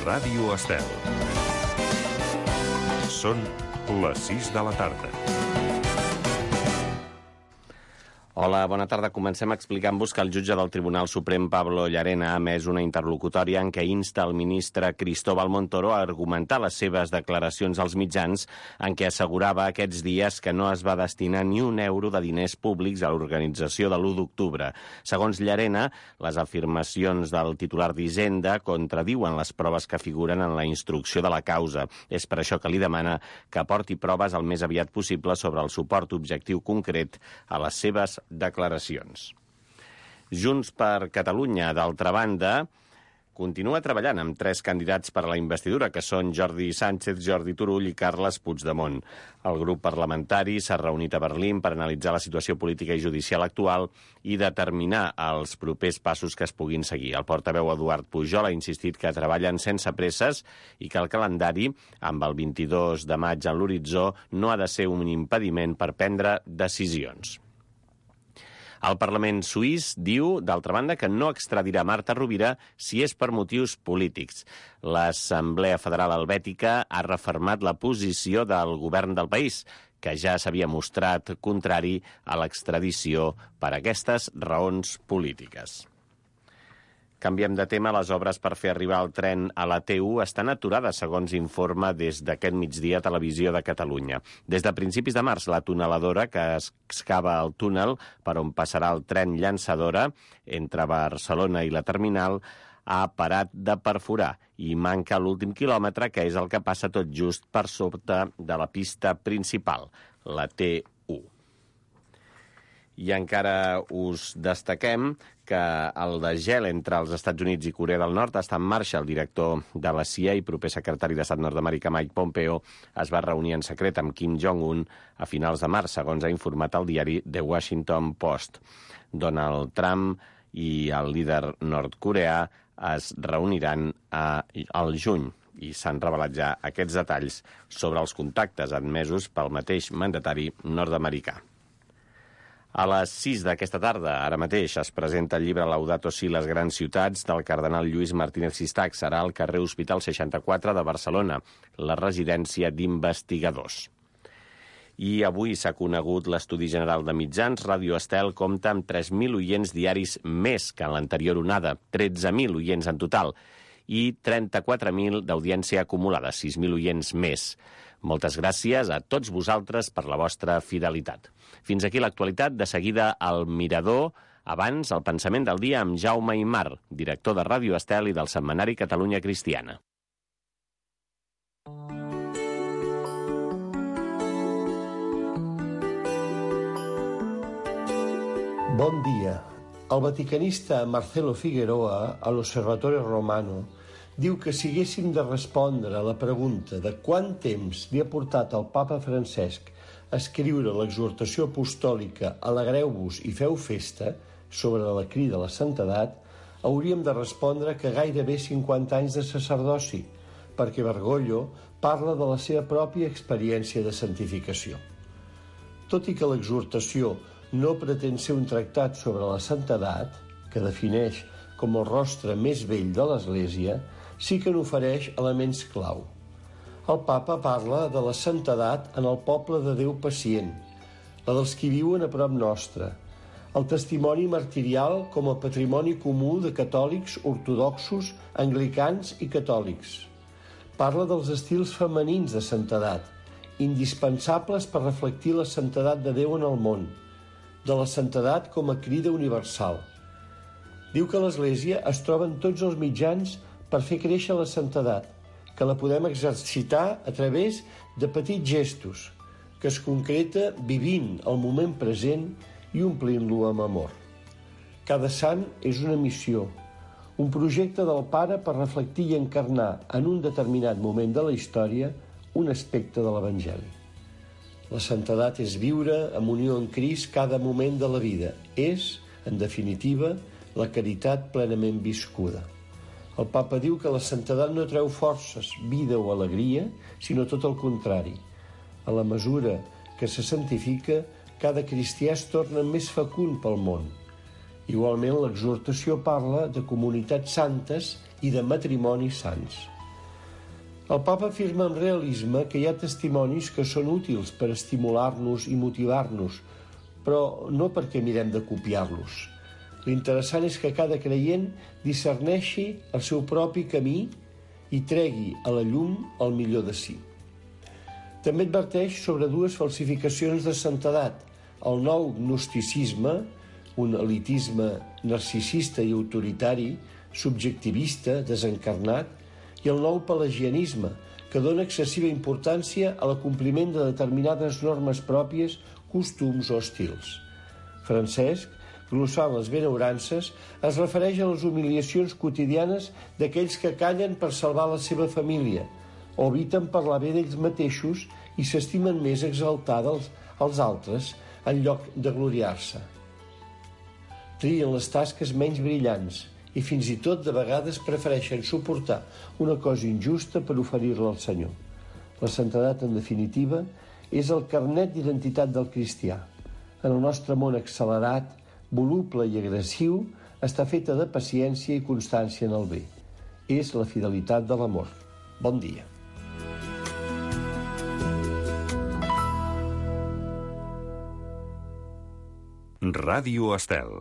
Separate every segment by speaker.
Speaker 1: Ràdio Estel. Són les 6 de la tarda.
Speaker 2: Hola, bona tarda. Comencem explicant-vos que el jutge del Tribunal Suprem, Pablo Llarena, ha emès una interlocutòria en què insta el ministre Cristóbal Montoro a argumentar les seves declaracions als mitjans en què assegurava aquests dies que no es va destinar ni un euro de diners públics a l'organització de l'1 d'octubre. Segons Llarena, les afirmacions del titular d'Hisenda contradiuen les proves que figuren en la instrucció de la causa. És per això que li demana que aporti proves el més aviat possible sobre el suport objectiu concret a les seves declaracions. Junts per Catalunya, d'altra banda, continua treballant amb 3 candidats per a la investidura, que són Jordi Sánchez, Jordi Turull i Carles Puigdemont. El grup parlamentari s'ha reunit a Berlín per analitzar la situació política i judicial actual i determinar els propers passos que es puguin seguir. El portaveu Eduard Pujol ha insistit que treballen sense presses i que el calendari, amb el 22 de maig en l'horitzó, no ha de ser un impediment per prendre decisions. El Parlament suís diu, d'altra banda, que no extradirà Marta Rovira si és per motius polítics. L'Assemblea Federal Helvètica ha refermat la posició del govern del país, que ja s'havia mostrat contrari a l'extradició per aquestes raons polítiques. Canviem de tema. Les obres per fer arribar el tren a la T1 estan aturades, segons informa des d'aquest migdia Televisió de Catalunya. Des de principis de març, la tuneladora que excava el túnel per on passarà el tren llançadora entre Barcelona i la terminal ha parat de perforar i manca l'últim quilòmetre, que és el que passa tot just per sota de la pista principal, la T1. I encara us destaquem que el desgel entre els Estats Units i Corea del Nord està en marxa. El director de la CIA i proper secretari d'Estat nord-americà Mike Pompeo es va reunir en secret amb Kim Jong-un a finals de març, segons ha informat el diari The Washington Post. Donald Trump i el líder nord-coreà es reuniran al juny i s'han revelat ja aquests detalls sobre els contactes admesos pel mateix mandatari nord-americà. A les 6 d'aquesta tarda, ara mateix, es presenta el llibre Laudato Si, les grans ciutats, del cardenal Lluís Martínez Sistac. Serà al carrer Hospital 64 de Barcelona, la residència d'investigadors. I avui s'ha conegut l'Estudi General de Mitjans. Ràdio Estel compta amb 3.000 oients diaris més que en l'anterior onada, 13.000 oients en total, i 34.000 d'audiència acumulada, 6.000 oients més. Moltes gràcies a tots vosaltres per la vostra fidelitat. Fins aquí l'actualitat. De seguida, al Mirador. Abans, el pensament del dia amb Jaume Aymar, director de Ràdio Estel i del setmanari Catalunya Cristiana.
Speaker 3: Bon dia. El vaticanista Marcelo Figueroa, a l'Osservatore Romano, diu que si haguéssim de respondre a la pregunta de quant temps li ha portat el papa Francesc a escriure l'exhortació apostòlica «Alegreu-vos i feu festa» sobre la crida a la santedat, hauríem de respondre que gairebé 50 anys de sacerdoci, perquè Bergoglio parla de la seva pròpia experiència de santificació. Tot i que l'exhortació no pretén ser un tractat sobre la santedat, que defineix com el rostre més vell de l'Església, sí que n'ofereix elements clau. El papa parla de la santedat en el poble de Déu pacient, la dels qui viuen a prop nostre, el testimoni martirial com a patrimoni comú de catòlics, ortodoxos, anglicans i catòlics. Parla dels estils femenins de santedat, indispensables per reflectir la santedat de Déu en el món, de la santedat com a crida universal. Diu que l'Església es troba en tots els mitjans per fer créixer la santedat, que la podem exercitar a través de petits gestos, que es concreta vivint el moment present i omplint-lo amb amor. Cada sant és una missió, un projecte del Pare per reflectir i encarnar en un determinat moment de la història un aspecte de l'Evangeli. La santedat és viure en unió amb Crist cada moment de la vida. És, en definitiva, la caritat plenament viscuda. El papa diu que la santedat no treu forces, vida o alegria, sinó tot el contrari. A la mesura que se santifica, cada cristià es torna més fecund pel món. Igualment, l'exhortació parla de comunitats santes i de matrimonis sants. El papa afirma amb realisme que hi ha testimonis que són útils per estimular-nos i motivar-nos, però no perquè mirem de copiar-los. L'interessant és que cada creient discerneixi el seu propi camí i tregui a la llum el millor de si. També adverteix sobre dues falsificacions de santedat: el nou gnosticisme, un elitisme narcisista i autoritari, subjectivista, desencarnat, i el nou pelagianisme, que dona excessiva importància a l'acompliment de determinades normes pròpies, costums o estils. Francesc, glossant les benaurances, es refereix a les humiliacions quotidianes d'aquells que callen per salvar la seva família, o eviten parlar bé d'ells mateixos i s'estimen més exaltar els altres en lloc de gloriar-se. Trien les tasques menys brillants i fins i tot de vegades prefereixen suportar una cosa injusta per oferir-la al Senyor. La santedat, en definitiva, és el carnet d'identitat del cristià. En el nostre món accelerat, voluble i agressiu, està feta de paciència i constància en el bé. És la fidelitat de l'amor. Bon dia.
Speaker 1: Ràdio Estel.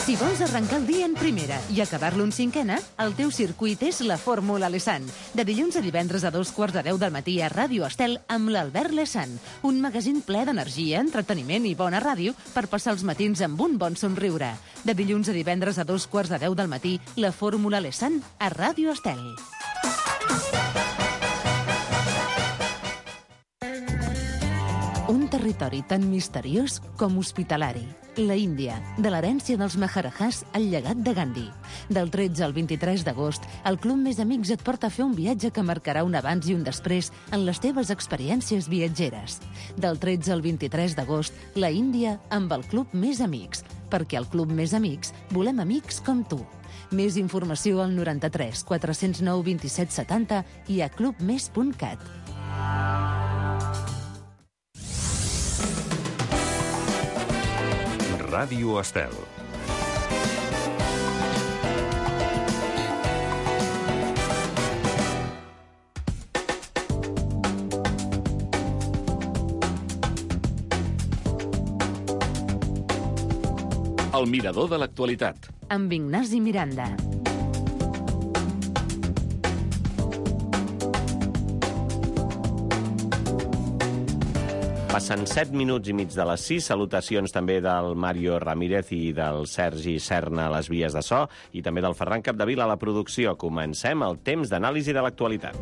Speaker 4: Si vols arrencar el dia en primera i acabar-lo en cinquena, el teu circuit és la Fórmula Lesan. De dilluns a divendres a 2:45 del matí a Ràdio Estel amb l'Albert Lesan. Un magazín ple d'energia, entreteniment i bona ràdio per passar els matins amb un bon somriure. De dilluns a divendres a 2:45 del matí, la Fórmula Lesan a Ràdio Estel. Un territori tan misteriós com hospitalari. La Índia, de l'herència dels Maharajahs al llegat de Gandhi. Del 13 al 23 d'agost, el Club Més Amics et porta a fer un viatge que marcarà un abans i un després en les teves experiències viatgeres. Del 13 al 23 d'agost, la Índia amb el Club Més Amics, perquè al Club Més Amics volem amics com tu. Més informació al 93 409 27 70 i a clubmes.cat.
Speaker 1: Ràdio Estel. El mirador de l'actualitat.
Speaker 4: Amb Ignasi Miranda.
Speaker 2: Passen 7 minuts i mig de les 6. Salutacions també del Mario Ramírez i del Sergi Serna a les vies de so i també del Ferran Capdevila a la producció. Comencem el temps d'anàlisi de l'actualitat.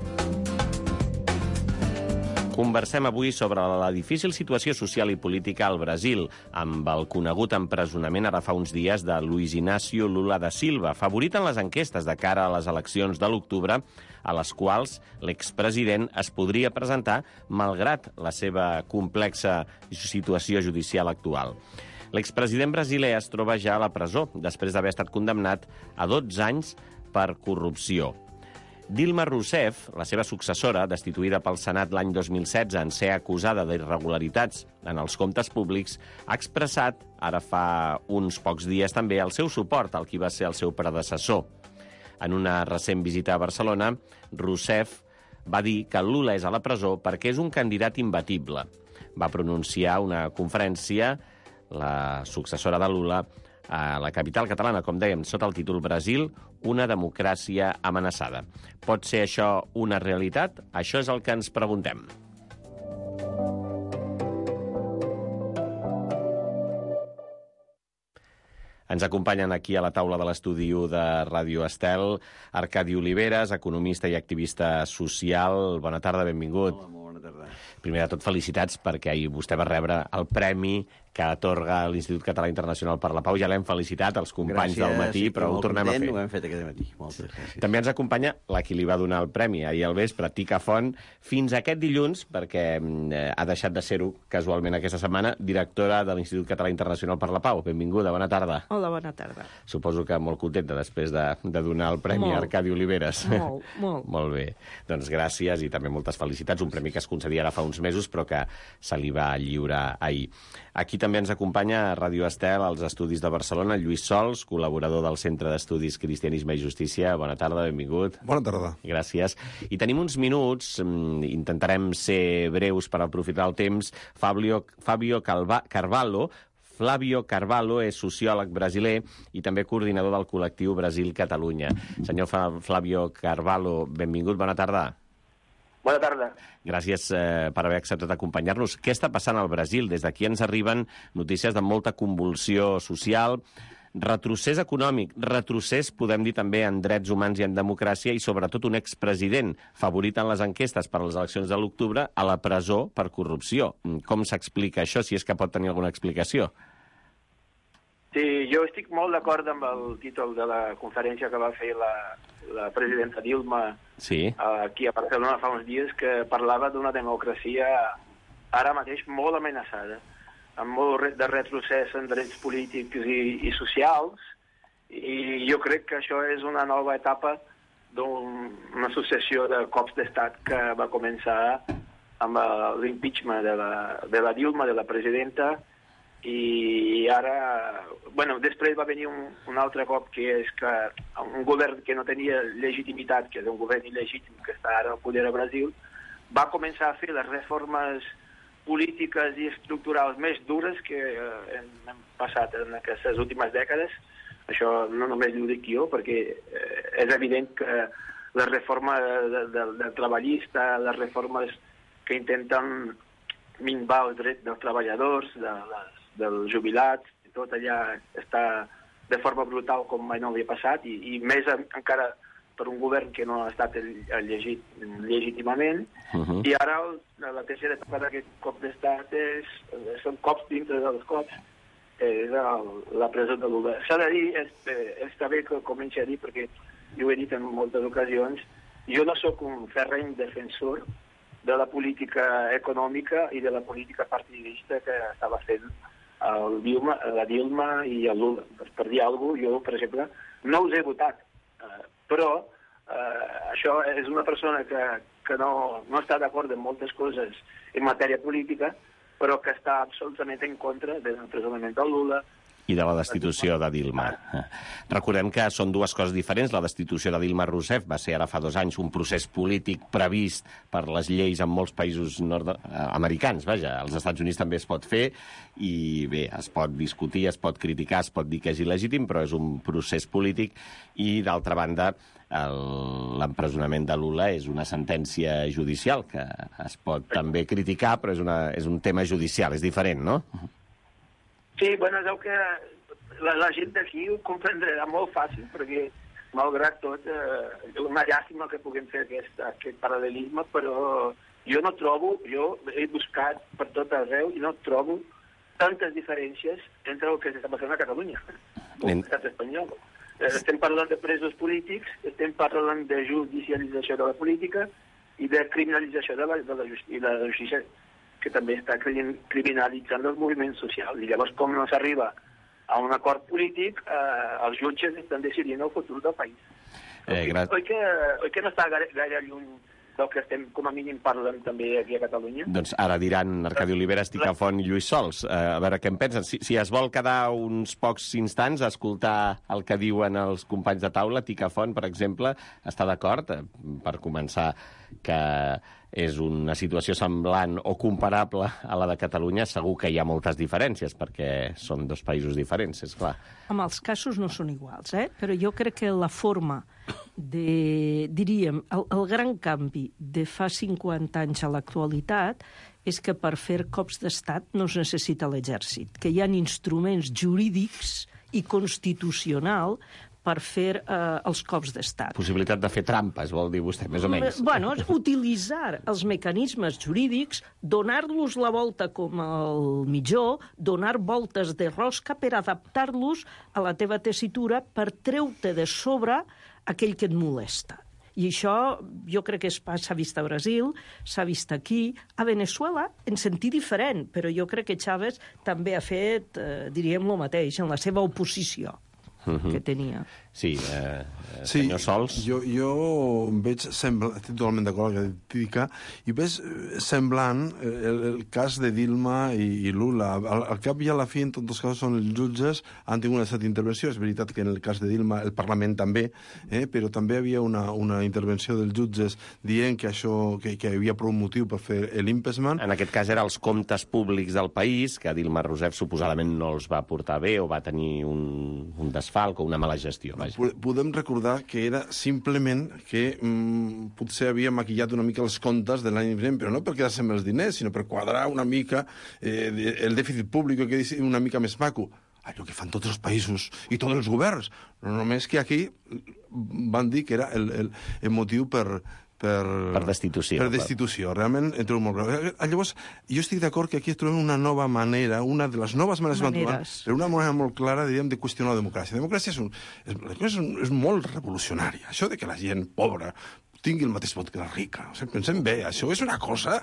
Speaker 2: Conversem avui sobre la difícil situació social i política al Brasil, amb el conegut empresonament ara fa uns dies de Luiz Inácio Lula da Silva, favorit en les enquestes de cara a les eleccions de l'octubre, a les quals l'expresident es podria presentar malgrat la seva complexa situació judicial actual. L'expresident brasiler es troba ja a la presó, després d'haver estat condemnat a 12 anys per corrupció. Dilma Rousseff, la seva successora, destituïda pel Senat l'any 2016 en ser acusada d'irregularitats en els comptes públics, ha expressat, ara fa uns pocs dies també, el seu suport al qui va ser el seu predecessor. En una recent visita a Barcelona, Rousseff va dir que Lula és a la presó perquè és un candidat imbatible. Va pronunciar una conferència, la successora de Lula, a la capital catalana, com dèiem, sota el títol Brasil, una democràcia amenaçada. Pot ser això una realitat? Això és el que ens preguntem. Ens acompanyen aquí a la taula de l'estudi de Ràdio Estel Arcadi Oliveres, economista i activista social. Bona tarda, benvingut.
Speaker 5: Hola, molt bona tarda.
Speaker 2: Primer de tot, felicitats, perquè ahir vostè va rebre el premi que atorga l'Institut Català Internacional per la Pau. Ja l'hem felicitat, els companys del matí, però ho tornem a fer.
Speaker 5: Ho hem fet aquest matí. Moltes gràcies.
Speaker 2: També ens acompanya la qui li va donar el premi ahir al vespre, Tica Font, fins aquest dilluns, perquè ha deixat de ser-ho casualment aquesta setmana, directora de l'Institut Català Internacional per la Pau. Benvinguda, bona tarda.
Speaker 6: Hola, bona tarda.
Speaker 2: Suposo que molt contenta després de donar el premi a Arcadi Oliveres.
Speaker 6: Molt, molt.
Speaker 2: Molt bé. Doncs gràcies i també moltes felicitats. Un premi que es concedia ara fa uns mesos, però que se li va lliurar ahir. Aquí també ens acompanya a Ràdio Estel, als estudis de Barcelona, Lluís Sols, col·laborador del Centre d'Estudis Cristianisme i Justícia. Bona tarda, benvingut.
Speaker 6: Bona tarda.
Speaker 2: Gràcies. I tenim uns minuts, intentarem ser breus per aprofitar el temps. Flavio Carvalho és sociòleg brasiler i també coordinador del col·lectiu Brasil-Catalunya. Senyor Flavio Carvalho, benvingut, bona tarda.
Speaker 7: Bona tarda.
Speaker 2: Gràcies per haver acceptat acompanyar-nos. Què està passant al Brasil? Des d'aquí ens arriben notícies de molta convulsió social, retrocés econòmic, retrocés, podem dir també, en drets humans i en democràcia, i sobretot un expresident favorit en les enquestes per a les eleccions de l'octubre a la presó per corrupció. Com s'explica això, si és que pot tenir alguna explicació?
Speaker 7: Sí, jo estic molt d'acord amb el títol de la conferència que va fer la presidenta Dilma aquí a Barcelona fa uns dies, que parlava d'una democràcia ara mateix molt amenaçada, amb molt de retrocés en drets polítics i socials, i jo crec que això és una nova etapa d'una successió de cops d'estat que va començar amb l'impeachment de la Dilma, de la presidenta, i ara, bueno, després va venir un altre cop, que és que un govern que no tenia legitimitat, que és un govern il·legítim que està ara al poder a Brasil, va començar a fer les reformes polítiques i estructurals més dures que hem passat en aquestes últimes dècades. Això no només ho dic jo, perquè és evident que la reforma del treballista, les reformes que intenten minvar els drets dels treballadors, dels jubilats, tot allà està de forma brutal com mai no havia passat, i més encara per un govern que no ha estat elegit legítimament. I ara la tercera etapa d'aquest cop d'estat són cops dintre dels cops, és la presó de Lula. S'ha de dir, està bé que comenci a dir, perquè jo ho he dit en moltes ocasions, jo no sóc un ferreny defensor de la política econòmica i de la política partidista que estava fent la Dilma i el Lula. Per dir alguna cosa, jo, per exemple, no us he votat, però això és una persona que no està d'acord en moltes coses en matèria política, però que està absolutament en contra de l'empresonament del Lula
Speaker 2: i de la destitució de Dilma. Recordem que són dues coses diferents. La destitució de Dilma Rousseff va ser ara fa 2 anys un procés polític previst per les lleis en molts països nord-americans. Vaja, als Estats Units també es pot fer i bé, es pot discutir, es pot criticar, es pot dir que és il·legítim, però és un procés polític. I d'altra banda, l'empresonament de Lula és una sentència judicial que es pot també criticar, però és un tema judicial, és diferent, no?
Speaker 7: Sí, bueno, és el que la gent d'aquí ho comprendrà molt fàcil, perquè, malgrat tot, és una llàstima que puguem fer aquest paral·lelisme, però jo he buscat per tot arreu i no trobo tantes diferències entre el que s'està passant a Catalunya, com l'estat espanyol. Estem parlant de presos polítics, estem parlant de judicialització de la política i de criminalització de la justícia, que també està criminalitzant els moviments socials. I llavors, com no s'arriba a un acord polític, els jutges estan decidint el futur del país. Oi que no està gaire lluny del que estem, com a mínim, parlant també aquí a Catalunya?
Speaker 2: Doncs ara diran Arcadi Oliveres, Ticafont i Lluís Sols. A veure què en pensen. Si es vol quedar uns pocs instants a escoltar el que diuen els companys de taula, Ticafont, per exemple, està d'acord, per començar, que és una situació semblant o comparable a la de Catalunya. Segur que hi ha moltes diferències, perquè són 2 països diferents, és clar.
Speaker 8: Home, els casos no són iguals, però jo crec que la forma diríem, el gran canvi de fa 50 anys a l'actualitat és que per fer cops d'estat no es necessita l'exèrcit, que hi ha instruments jurídics i constitucional per fer els cops d'estat.
Speaker 2: Possibilitat de fer trampes, vol dir vostè, més o menys.
Speaker 8: Bueno, utilitzar els mecanismes jurídics, donar-los la volta com el mitjó, donar voltes de rosca per adaptar-los a la teva tessitura, per treure de sobre aquell que et molesta. I això jo crec que s'ha vist a Brasil, s'ha vist aquí, a Veneçuela, en sentit diferent, però jo crec que Chávez també ha fet, diríem, el mateix, en la seva oposició que tenia.
Speaker 2: Sí, senyor Sols.
Speaker 5: Jo veig, estic totalment d'acord amb el que dic, i veig semblant el cas de Dilma i Lula. Al cap i a la fi, en tots els casos, són els jutges, han tingut una certa intervenció. És veritat que en el cas de Dilma el Parlament també, però també hi havia una intervenció dels jutges dient que això, que hi havia prou motiu per fer l'impeachment.
Speaker 2: En aquest cas eren els comptes públics del país, que Dilma Rousseff suposadament no els va portar bé o va tenir un desfalc o una mala gestió.
Speaker 5: Podem recordar que era simplement que potser havia maquillat una mica els comptes de l'any vinent, però no per quedar-se amb els diners, sinó per quadrar una mica el dèficit públic, que és una mica més maco. Allò que fan tots els països i tots els governs. No només que aquí van dir que era el motiu per
Speaker 2: destitució.
Speaker 5: Per destitució. Realment, en trobo molt greu. Llavors, jo estic d'acord que aquí trobem una nova manera, una de les noves maneres, però una manera molt clara, diríem, de qüestionar la democràcia. La democràcia és molt revolucionària. Això de que la gent pobra tingui el mateix vot que la rica. O sigui, pensem bé, això és una cosa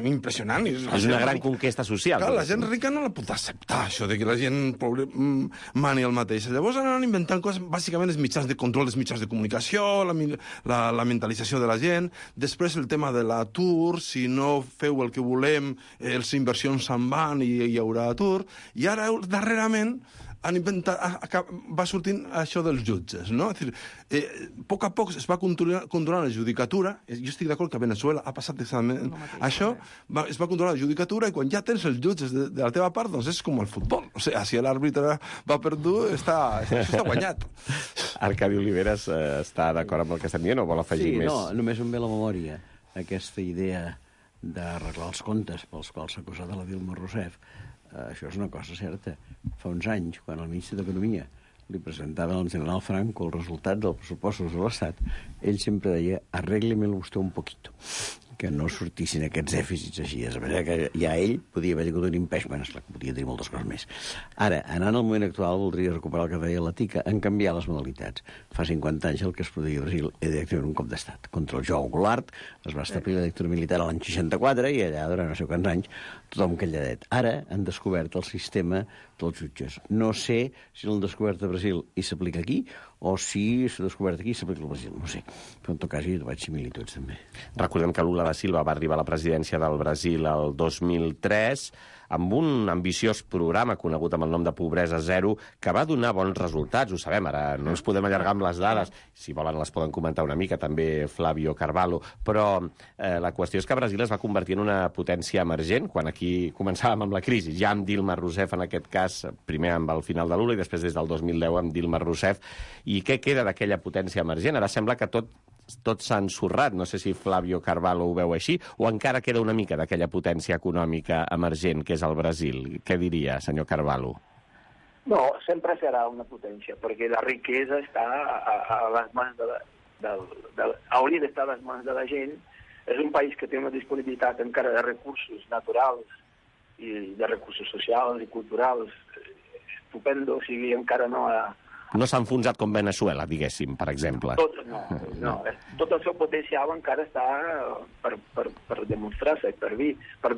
Speaker 5: impressionant.
Speaker 2: És una gran conquesta social.
Speaker 5: Clar, la gent rica no la pot acceptar, això de que la gent pobra mani el mateix. Llavors han inventant coses, bàsicament els mitjans de control dels mitjans de comunicació, la mentalització de la gent, després el tema de l'atur, si no feu el que volem, les inversions se'n van i hi haurà atur, i ara, darrerament, han inventat, va sortint això dels jutges, no? És dir, a poc a poc es va controlar la judicatura. Jo estic d'acord que a Venezuela ha passat exactament això, es va controlar la judicatura, i quan ja tens els jutges de la teva part, doncs és com el futbol. O sigui, si l'àrbitre va perdut, això està guanyat.
Speaker 2: Arcadi Oliveres està d'acord amb el que estem dient o vol afegir més?
Speaker 6: Sí, no, només em ve a la memòria aquesta idea d'arreglar els comptes pels quals s'ha acusat a la Dilma Rousseff. Això és una cosa certa. Fa uns anys, quan el ministre d'Economia li presentava al general Franco el resultat dels pressupostos de l'Estat, ell sempre deia, arrégle-me-lo vostè un poquito, que no sortissin aquests dèficits així. És veritat que ja ell podia haver tingut un impeachment, esclar, podia dir moltes coses més. Ara, anant al moment actual, voldria recuperar el que deia la Tica, en canviar les modalitats. Fa 50 anys el que es produïa a Brasil era directament un cop d'estat. Contra el João Goulart es va establir la dictadura militar a l'any 64 i allà, durant no sé quants anys, tothom calladet. Ara han descobert el sistema dels jutges. No sé si l'han descobert a Brasil i s'aplica aquí, o si s'ha descobert aquí i s'aplica al Brasil. No sé. Però en tot cas hi trobat similituds, també.
Speaker 2: Recordem que Lula da Silva va arribar a la presidència del Brasil el 2003 amb un ambiciós programa conegut amb el nom de Pobresa Zero, que va donar bons resultats, ho sabem, ara no ens podem allargar amb les dades, si volen les poden comentar una mica, també Flavio Carvalho, però la qüestió és que Brasil es va convertir en una potència emergent, quan aquí començàvem amb la crisi, ja amb Dilma Rousseff en aquest cas, primer amb el final de Lula i després des del 2010 amb Dilma Rousseff. I què queda d'aquella potència emergent? Ara sembla que tot s'ha ensorrat, no sé si Flavio Carvalho ho veu així, o encara queda una mica d'aquella potència econòmica emergent que és el Brasil. Què diria, senyor Carvalho?
Speaker 7: No, sempre serà una potència, perquè la riquesa està a les mans hauria d'estar a les mans de la gent. És un país que té una disponibilitat encara de recursos naturals i de recursos socials i culturals estupendo, o sigui, encara no ha...
Speaker 2: No s'ha enfonsat com Venezuela, diguéssim, per exemple.
Speaker 7: No. Tot el seu potencial encara està per demostrar-se, per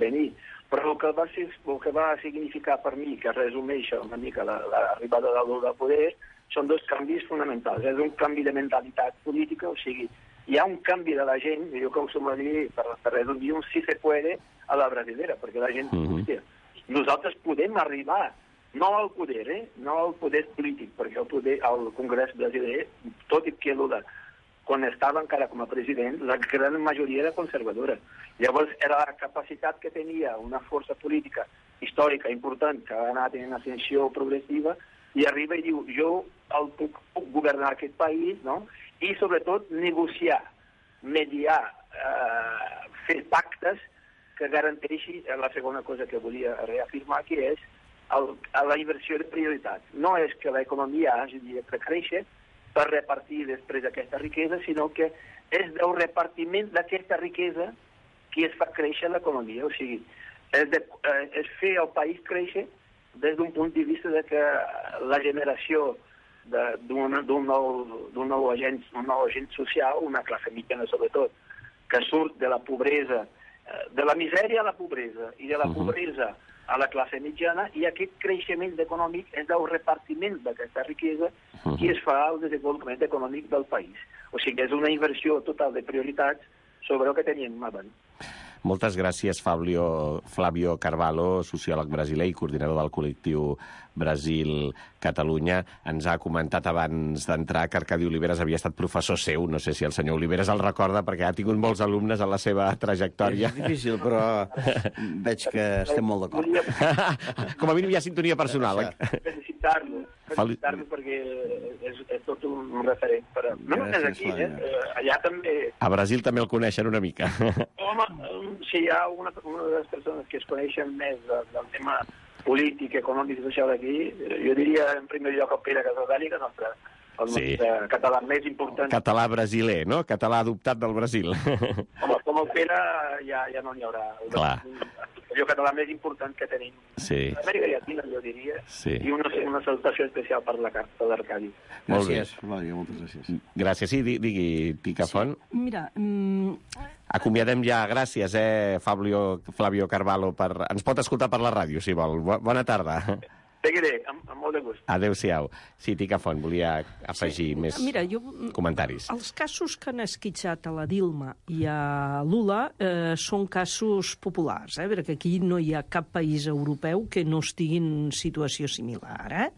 Speaker 7: venir. Però el que va significar per mi, que resumeix una mica l'arribada de Lula al poder, són dos canvis fonamentals. És un canvi de mentalitat política, o sigui, hi ha un canvi de la gent, jo que ho som a dir, per resumir, un si se puede a la brasilera, perquè la gent, hòstia, nosaltres podem arribar no al poder, no al poder polític, perquè el Congrés brasiler, tot i que Lula, quan estava encara com a president, la gran majoria era conservadora. Llavors era la capacitat que tenia una força política històrica important que ha anat en ascensió progressiva i arriba i diu, jo puc governar aquest país, no? I sobretot negociar, mediar, fer pactes que garanteixi la segona cosa que volia reafirmar, que és la inversió de prioritat. No és que l'economia hagi de créixer per repartir després aquesta riquesa, sinó que és del repartiment d'aquesta riquesa que es fa créixer l'economia. O sigui, és fer el país créixer des d'un punt de vista de que la generació d'un nou agent social, una classe mitjana sobretot, que surt de la pobresa, de la misèria a la pobresa, i de la pobresa a la classe mitjana, i aquest creixement econòmic és el repartiment d'aquesta riquesa que es fa al desenvolupament econòmic del país. O sigui, és una inversió total de prioritats sobre el que teníem abans.
Speaker 2: Moltes gràcies, Flavio Carvalho, sociòleg brasiler i coordinador del col·lectiu Brasil-Catalunya. Ens ha comentat abans d'entrar que Arcadi Oliveres havia estat professor seu. No sé si el senyor Oliveres el recorda, perquè ha tingut molts alumnes en la seva trajectòria.
Speaker 6: És difícil, però veig que estem molt d'acord.
Speaker 2: Com a mínim hi ha sintonia personal.
Speaker 7: Felicitar-lo perquè és tot un referent. Però no només aquí, allà també...
Speaker 2: A Brasil també el coneixen una mica.
Speaker 7: Home, si hi ha una de les persones que es coneixen més del tema polític, econòmic i social aquí, jo diria en primer lloc el Pere Casaldani, que el nostre català més important.
Speaker 2: Català brasiler, no? Català adoptat del Brasil.
Speaker 7: Home, com el Pere ja no n'hi haurà.
Speaker 2: Clar.
Speaker 7: El català més important que tenim.
Speaker 2: Sí.
Speaker 7: Amèrica Llatina, jo diria.
Speaker 2: Sí.
Speaker 7: I una salutació especial per la carta d'Arcadi.
Speaker 6: Gràcies, Flavio, moltes gràcies.
Speaker 2: Gràcies. Sí, digui, Picafont.
Speaker 8: Sí. Mira...
Speaker 2: Acomiadem ja. Gràcies, Flavio Carvalho. Ens pot escoltar per la ràdio, si vol. Bona tarda.
Speaker 7: Seguiré, amb molt de gust.
Speaker 2: Adéu-siau. Sí, Picafont, volia afegir més comentaris.
Speaker 8: Els casos que han esquitxat a la Dilma i a Lula són casos populars, perquè aquí no hi ha cap país europeu que no estigui en situació similar.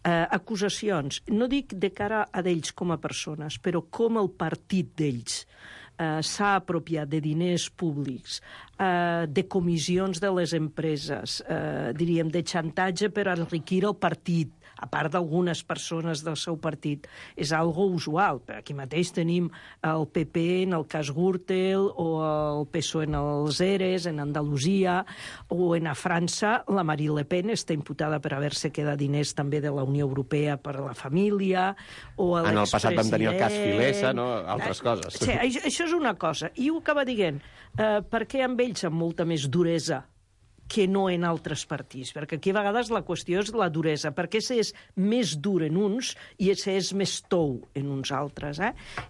Speaker 8: Acusacions, no dic de cara a d'ells com a persones, però com el partit d'ells s'ha apropiat de diners públics, de comissions de les empreses, diríem, de xantatge per enriquir el partit, a part d'algunes persones del seu partit. És algo usual. Aquí mateix tenim el PP en el cas Gürtel, o el PSOE en els ERES, en Andalusia, o a França la Marine Le Pen està imputada per haver-se quedat diners també de la Unió Europea per a la família, o
Speaker 2: en el passat vam tenir el cas Filesa, no? Altres coses.
Speaker 8: Sí, això és una cosa. I ho acaba dient, per què amb ells amb molta més duresa que no en altres partits? Perquè aquí a vegades la qüestió és la duresa, perquè és més dur en uns i és més tou en uns altres.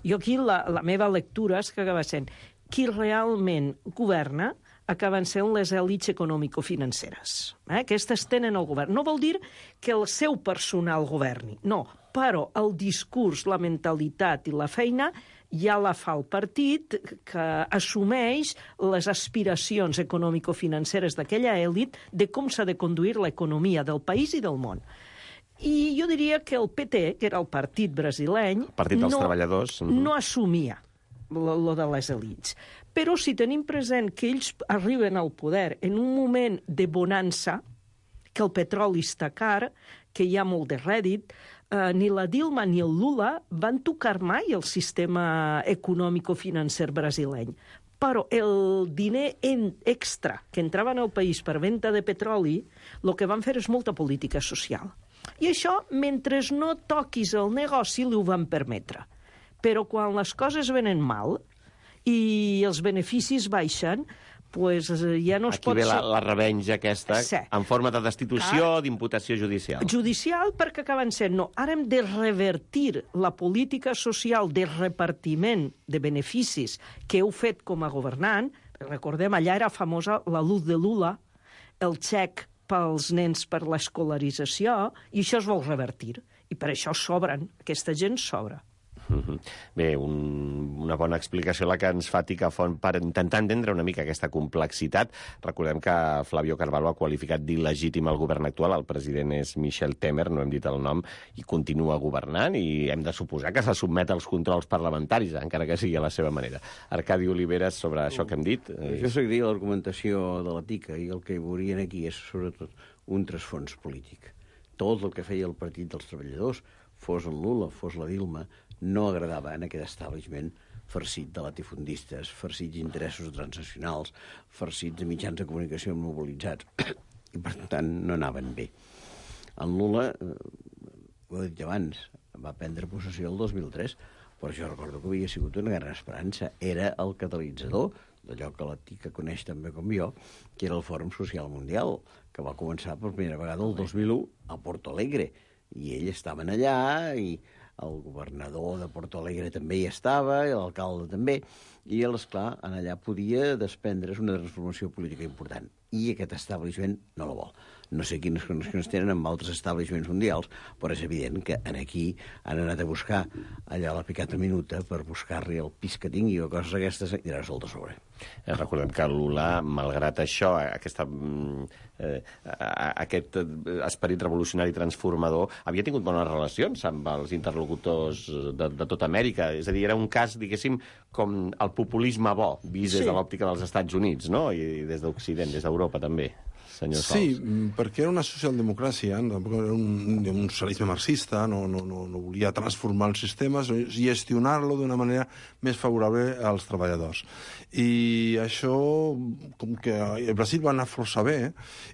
Speaker 8: Jo aquí la meva lectura és que acaba sent qui realment governa acaben sent les èlits econòmico-financeres. Aquestes tenen el govern. No vol dir que el seu personal governi, no, però el discurs, la mentalitat i la feina ja la fa el partit, que assumeix les aspiracions econòmico-financeres d'aquella èlit de com s'ha de conduir l'economia del país i del món. I jo diria que el PT, que era el partit brasileny...
Speaker 2: El partit dels treballadors.
Speaker 8: No assumia lo de les elits. Però si tenim present que ells arriben al poder en un moment de bonança, que el petroli està car, que hi ha molt de rèdit, ni la Dilma ni el Lula van tocar mai el sistema econòmico-financer brasileny. Però el diner extra que entrava en el país per venda de petroli, el que van fer és molta política social. I això, mentre no toquis el negoci, li ho van permetre. Però quan les coses venen mal i els beneficis baixen, pues ja no es pot...
Speaker 2: Aquí ve la revenja aquesta, en forma de destitució, d'imputació judicial.
Speaker 8: Judicial, perquè acaben sent, no, ara hem de revertir la política social de repartiment de beneficis que heu fet com a governant. Recordem, allà era famosa la Luz de Lula, el xec pels nens per l'escolarització, i això es vol revertir. I per això sobren, aquesta gent sobra.
Speaker 2: Bé, una bona explicació la que ens fa Picafont per intentar entendre una mica aquesta complexitat. Recordem que Flavio Carvalho ha qualificat d'il·legítim el govern actual. El president és Michel Temer, no hem dit el nom, i continua governant, i hem de suposar que se sotmet als controls parlamentaris, encara que sigui a la seva manera. Arcadi Oliveres, sobre això que hem dit...
Speaker 6: Jo seguiria l'argumentació de la TICA, i el que veurien aquí és, sobretot, un trasfons polític. Tot el que feia el Partit dels Treballadors, fos el Lula, fos la Dilma, no agradava en aquest establishment farcit de latifundistes, farcits d'interessos transnacionals, farcits de mitjans de comunicació mobilitzats, i per tant no anaven bé. En Lula, ho he dit abans, va prendre possessió el 2003, però jo recordo que havia sigut una gran esperança. Era el catalitzador d'allò que la TICA coneix també com jo, que era el Fòrum Social Mundial, que va començar per primera vegada el 2001 a Porto Alegre, i ells estaven allà, i el governador de Porto Alegre també hi estava, i l'alcalde també, i, esclar, allà podia desprendre's una transformació política important. i aquest establishment no la vol. No sé quines connexions tenen amb altres establishments mundials, però és evident que aquí han anat a buscar allà la picata minuta per buscar-li el pis que tingui o coses aquestes i anar sol de sobre.
Speaker 2: Recordem que Lula, malgrat això, aquest esperit revolucionari transformador, havia tingut bones relacions amb els interlocutors de tota Amèrica. És a dir, era un cas, diguéssim, com el populisme bo, vist des de l'òptica dels Estats Units, no? I des d'Occident, des d'Europa també.
Speaker 5: Sí, perquè era una socialdemocràcia, tampoc era un socialisme marxista, no volia transformar el sistema, i gestionar-lo d'una manera més favorable als treballadors. I això, com que el Brasil va anar força bé,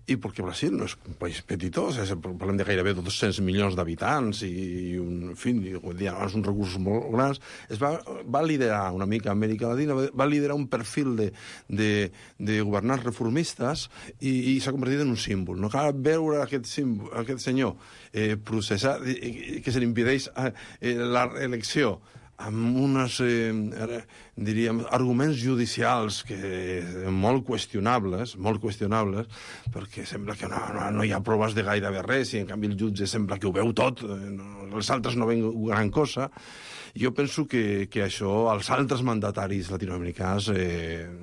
Speaker 5: i perquè Brasil no és un país petitós, parlem de gairebé 200 milions d'habitants, i en fi, uns recursos molt grans, va liderar una mica Amèrica Latina, va liderar un perfil de governants reformistes, i s'ha convertit en un símbol. No cal veure aquest senyor processat, que se li impedeix l'elecció amb uns, diríem, arguments judicials molt qüestionables, perquè sembla que no hi ha proves de gairebé res, i en canvi el jutge sembla que ho veu tot, els altres no veuen gran cosa. Jo penso que això als altres mandataris latinoamericans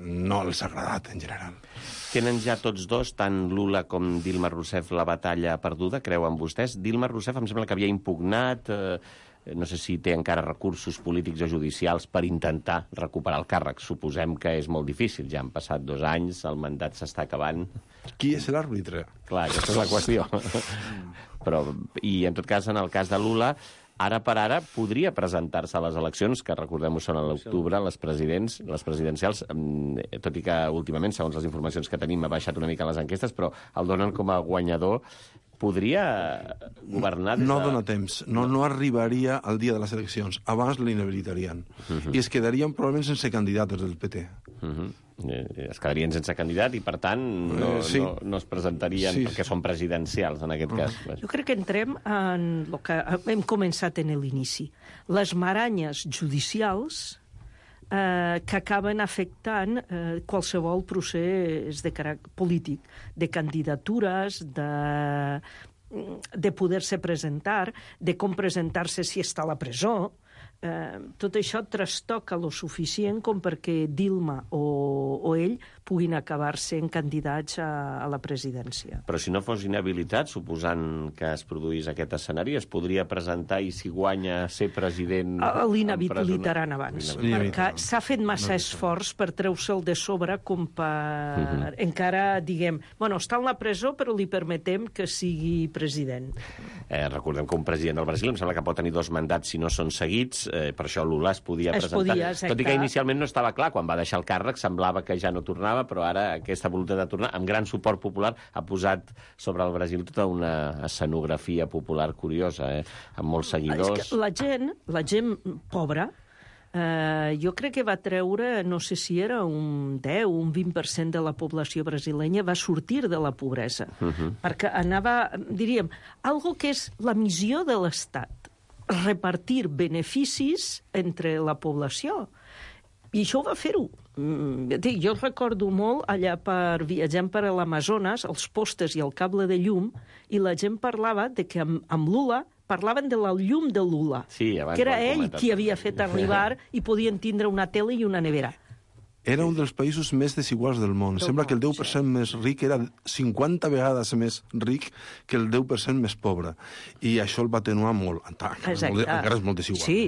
Speaker 5: no els ha agradat en general.
Speaker 2: Tenen ja tots dos, tant Lula com Dilma Rousseff, la batalla perduda, creuen vostès? Dilma Rousseff em sembla que havia impugnat, no sé si té encara recursos polítics o judicials per intentar recuperar el càrrec. Suposem que és molt difícil, ja han passat 2 anys, el mandat s'està acabant.
Speaker 5: Qui és l'àrbitre?
Speaker 2: Clar, aquesta és la qüestió. I en tot cas, en el cas de Lula, ara per ara podria presentar-se a les eleccions, que recordem-ho són a l'octubre, les presidencials, tot i que últimament, segons les informacions que tenim, ha baixat una mica les enquestes, però el donen com a guanyador. Podria governar des de...
Speaker 5: No dona temps, no arribaria al dia de les eleccions, abans l'inhabilitarien. I es quedarien probablement sense candidats del PT.
Speaker 2: Es quedarien sense candidat i, per tant, no es presentarien perquè són presidencials, en aquest cas.
Speaker 8: Jo crec que entrem en el que hem començat en l'inici. Les maranyes judicials que acaben afectant qualsevol procés de caràcter polític, de candidatures, de poder-se presentar, de com presentar-se si està a la presó. Tot això trastoca lo suficient com perquè Dilma o ell puguin acabar sent candidats a la presidència.
Speaker 2: Però si no fos inhabilitat, suposant que es produís aquest escenari, es podria presentar i si guanya ser president...
Speaker 8: L'inhabilitaran abans, perquè s'ha fet massa esforç per treure-se'l de sobre com per encara, diguem, bueno, està en la presó però li permetem que sigui president.
Speaker 2: Recordem que un president del Brasil em sembla que pot tenir 2 mandats si no són seguits, per això Lula es podia presentar. Tot i que inicialment no estava clar, quan va deixar el càrrec semblava que ja no tornava, però ara aquesta voluntat de tornar, amb gran suport popular, ha posat sobre el Brasil tota una escenografia popular curiosa, amb molts seguidors.
Speaker 8: És que la gent pobra, jo crec que va treure, no sé si era un 10 o un 20% de la població brasilenya va sortir de la pobresa, perquè anava, diríem, algo que és la missió de l'Estat, repartir beneficis entre la població. I això ho va fer-ho. Jo recordo molt allà viatjant per l'Amazones, els postes i el cable de llum, i la gent parlava de que amb Lula parlaven de la llum de Lula, que era ell qui havia fet arribar i podien tindre una tele i una nevera.
Speaker 5: Era un dels països més desiguals del món. Sembla que el 10% més ric era 50 vegades més ric que el 10% més pobre. I això el va atenuar molt. Encara és molt desigual.
Speaker 8: Sí.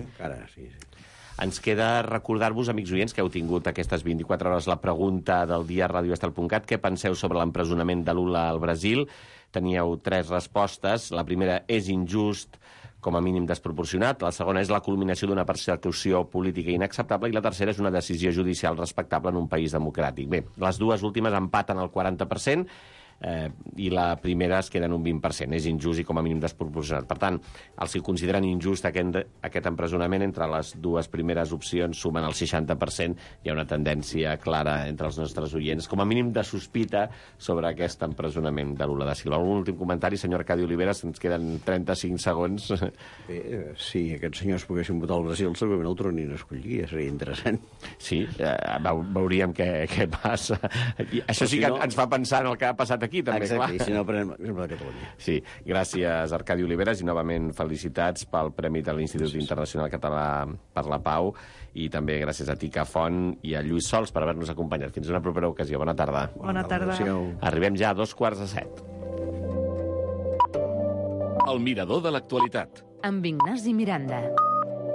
Speaker 2: Ens queda recordar-vos, amics oients, que heu tingut aquestes 24 hores la pregunta del dia a radioestel.cat. Què penseu sobre l'empresonament de Lula al Brasil? Teníeu 3 respostes. La primera, és injust, com a mínim desproporcionat. La segona és la culminació d'una persecució política inacceptable i la tercera és una decisió judicial respectable en un país democràtic. Bé, les dues últimes empaten el 40%. i la primera es queda en un 20%. És injust i com a mínim desproporcionat. Per tant, els que consideren injust aquest empresonament, entre les dues primeres opcions sumen el 60%. Hi ha una tendència clara entre els nostres oients, com a mínim de sospita sobre aquest empresonament de Lula da Silva. Algun últim comentari, senyor Arcadi Oliveras? Ens queden 35 segons.
Speaker 6: Bé, si aquests senyors poguessin votar al Brasil, segurament el tornin a escollir, seria interessant.
Speaker 2: Sí, veuríem què passa. Això sí que ens fa pensar en el que ha passat aquí, també, clar.
Speaker 6: Exacte, i si no, prenem l'exemple de Catalunya.
Speaker 2: Sí, gràcies, Arcadi Oliveras, i novament felicitats pel Premi de l'Institut Internacional Català per la Pau, i també gràcies a Tica Font i a Lluís Sols per haver-nos acompanyat. Fins una propera ocasió. Bona tarda.
Speaker 8: Bona tarda.
Speaker 2: Arribem ja a 7:15.
Speaker 1: El mirador de l'actualitat.
Speaker 4: Amb Ignasi Miranda.